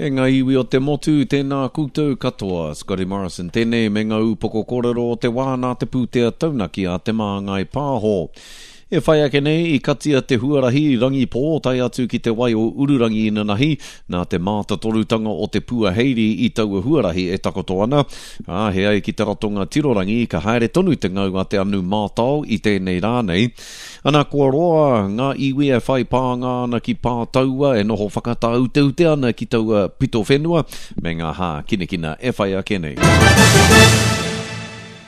E ngā iwi o te motu, tēnā koutou katoa. Scotty Morrison tēnei me ngā ūpoko kōrero o te wā nā te pūtea taunaki a Te Māngai Pāho. E whai ake nei, i katia te huarahi Rangipō tae atu ki te wai o Ururangi inanahi, nā te mātatorutanga o te puaheiri i taua huarahi e takoto ana, ā, he ai ki te ratonga tirorangi ka haere tonu te ngau a te anu mātao i tēnei rā nei. Ana, kua roa ngā iwi e whai pānga ana ki Pātaua e noho whakatāuteute ana ki taua pito whenua me ngā hākinakina e whai ake nei.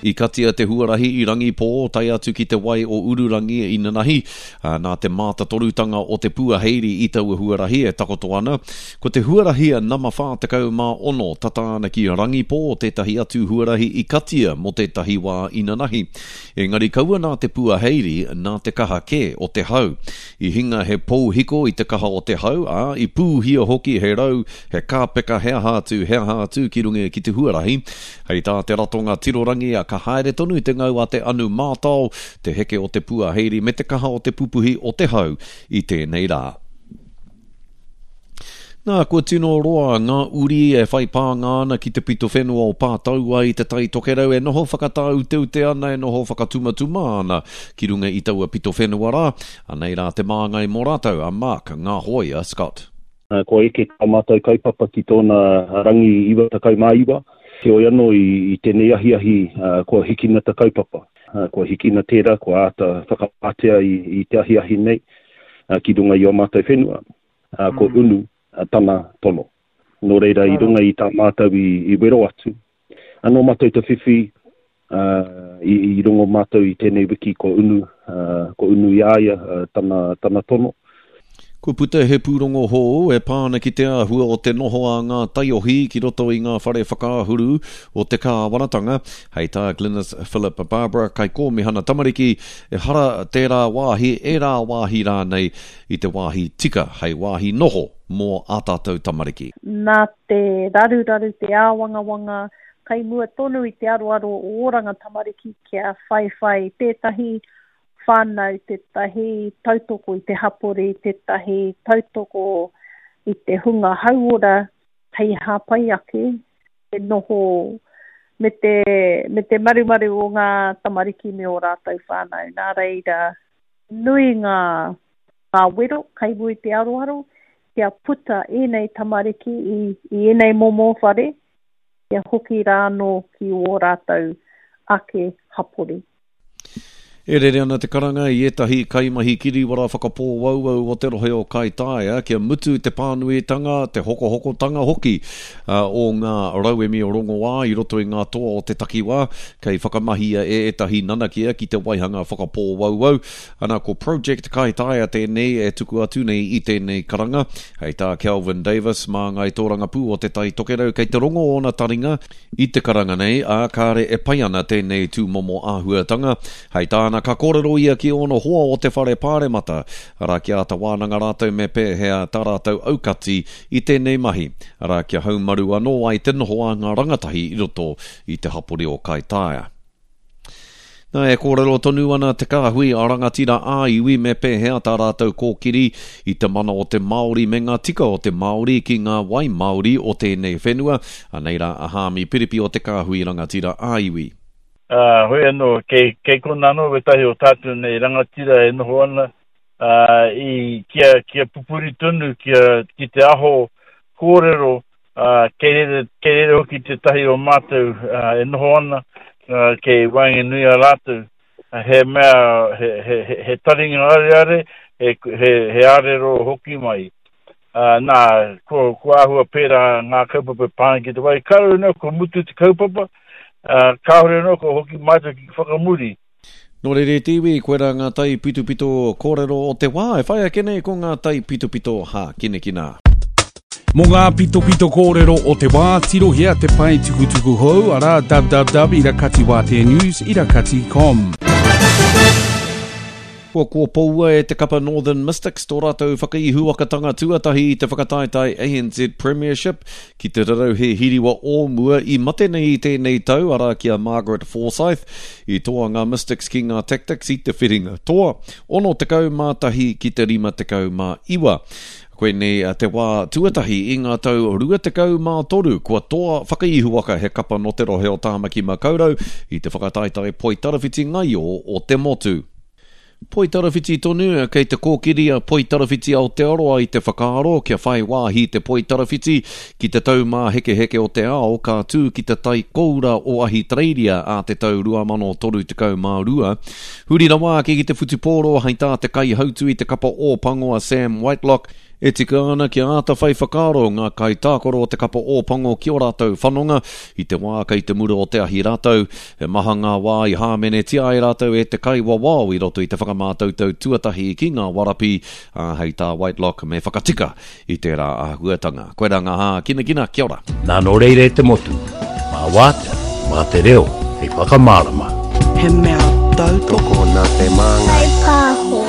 I katia te huarahi i Rangipō tae atu ki te wai o Ururangi inanahi, ā, nā te mātatorutanga o te puaheiri i taua huarahi e takoto ana. Ko te huarahi nama 46 tata ana ki Rangipō tētahi atu huarahi i katia mō tētahi wā inanahi. Engari kaua nā te puaheiri, nā te kaha kē o te hau. I hinga he pou hiko i te kaha o te hau, ā, i pūhia hoki he rau, he kāpeka, he aha atu, he aha atu ki runga ki te huarahi. Hei tā te ratonga tirorangi, ka haere tonu te ngau a te anu mātao, te heke o te puaheiri me te kaha o te pupuhi o te hau i tēnei rā. Nā, kua tino roa ngā uri e whai pānga ana ki te pito whenua o Pātaua i Te Tai Tokerau e noho whakatāuteute ana, e noho whakatumatuma ana ki runga i taua pito whenua rā. Anei rā te māngai mō rātou, a Mark Ngāhoia Scott. Kua eke tā mātou kaupapa ki tōna rangi 99, heoi anō i tēnei ahiahi kua hikina te kaupapa. Kua hikina tērā, kua āta whakawātea i te ahiahi nei ki runga i ō mātou whenua, kua unu tana tono. Nō reira, i runga i tā mātou i wero atu, Anō mātou te whiwhi, ā, i, i rongo mātou i tēnei wiki kua unu, ā, kua unu i a ia tana, tana tono. Kua puta he pūrongo hou e pā ana ki te āhua o te noho a ngā taiohi ki roto i ngā whare whakaahuru o te kāwanatanga. Hei tā Glynis Philip Barbara, Kaikōmihana Tamariki, ehara tērā wāhi, ērā wāhi rānei i te wāhi tika hei wāhi noho mō ā tātou tamariki. Nā te raruraru, te āwangawanga, kai mua tonu i te aroaro o Oranga Tamariki kia whaiwhai tētahi whānau, tētahi tautoko i te hapori, tētahi tautoko i te hunga hauora hei hāpai ake te noho me te, me te marumaru o ngā tamariki me ō rātou whānau. Nā reira, nui ngā, ngā wero kei mua i te aroaro kia puta ēnei tamariki i, i ēnei momo whare, kia hoki rā anō ki ō rātou ake hapori. E rere ana te karanga i ētahi kaimahi kiriwara whakapōauau o te rohe o Kaitaia kia mutu te pānuitanga, te hokohokotanga hoki o ngā rauemi rongoā i roto i ngā toa o te takiwā, kei whakamahia e ētahi nanakia ki te waihanga whakapōauau. Ana, ko Project Kaitaia tēnei e tuku atu nei i tēnei karanga. Hei tā Kelvin Davis, māngai tōrangapū o Te Tai Tokerau, kei te rongo ōna taringa i te karanga nei, ā, kāre e pai ana tēnei tūmomo āhuatanga. Hei tāna, ka kōrero ia ki ōna hoa o te whare pāremata, arā, kia āta wānanga rātou me pēhea tā rātou aukati i tēnei mahi, arā, kia haumaru anō ai te noho a ngā rangatahi i roto i te hapori o Kaitaia. Nā, e kōrero tonu ana te kāhui a rangatira ā-iwi me pēhea tā rātou kōkiri i te mana o te Māori me ngā tika o te Māori ki ngā wai Māori o tēnei whenua. Anei rā a Haami Piripi o te kāhui rangatira ā-iwi. Ā, hoi anō, kei, kei konā anō wētahi o tātou nei rangatira e noho ana, ā, i, kia, kia pupuri tonu, kia, ki te aho kōrero, ā, kei reira, kei reira hoki tētahi o mātou e noho ana, ā, kei waenganui a rātou, he mea, he, he, he, he taringa areare, he, he, he ārero hoki mai. Ā, nā, kua, kua āhua pērā ngā kaupapa e pā ana ki te wai. Kāore anō kua mutu te kaupapa, ā, kāore anō kua hoki mātou ki whakamuri. Nō reira e te iwi, koirā ngā taipitopito kōrero o te wā e whai ake nei ko ngā taipitopito hākinakina. Mō ngā pitopito kōrero o te wā, tirohia te pae tukutuku hou, arā www irakatiwāteanews irakati com. Kua kōpoua e te kapa Northern Mystics tō rātou whakaihuwakatanga tuatahi i te whakataetae ANZ Premiership ki te rarauhe hiriwa o mua i mate nei i tēnei tau, arā ki a Margaret Forsyth. I toa ngā Mystics ki ngā Tactix i te whiringa toa, 61 ki te 59. Koinei te wā tuatahi i ngā tau 23 kua toa whakaihuwaka he kapa nō te rohe o Tāmaki Makaurau i te whakataetae poitarawhiti ngaio o te motu. Poitarawhiti tonu, kei te kōkiri a Poitarawhiti Aotearoa i te whakaaro kia whai wāhi te poitarawhiti ki te Taumāhekeheke o te Ao ka tū ki te Tai Koura o Ahitereiria ā te tau 2032. Huri rawa ake ki te whutupōro hei tā te kaihautu i te kapa Ōpango a Sam Whitelock, e tika ana kia āta whai whakaaro ngā kaitākaro o te kapa Ōpango ki ō rātou whanonga i te wā kei te mura o te ahi rātou. He maha ngā wā i hāmenetia ai rātou e te kaiwawao i roto i te whakamātautau tuatahi ki ngā warapi, ā, hei tā Whitelock me whakatika i tērā āhuatanga. Koirā ngā hākinakina, kia ora! Nā nō reira e te motu, mā wātea, mā te reo hei whakamārama. He mea tautoko. Tokona te māngai. Whai pāho.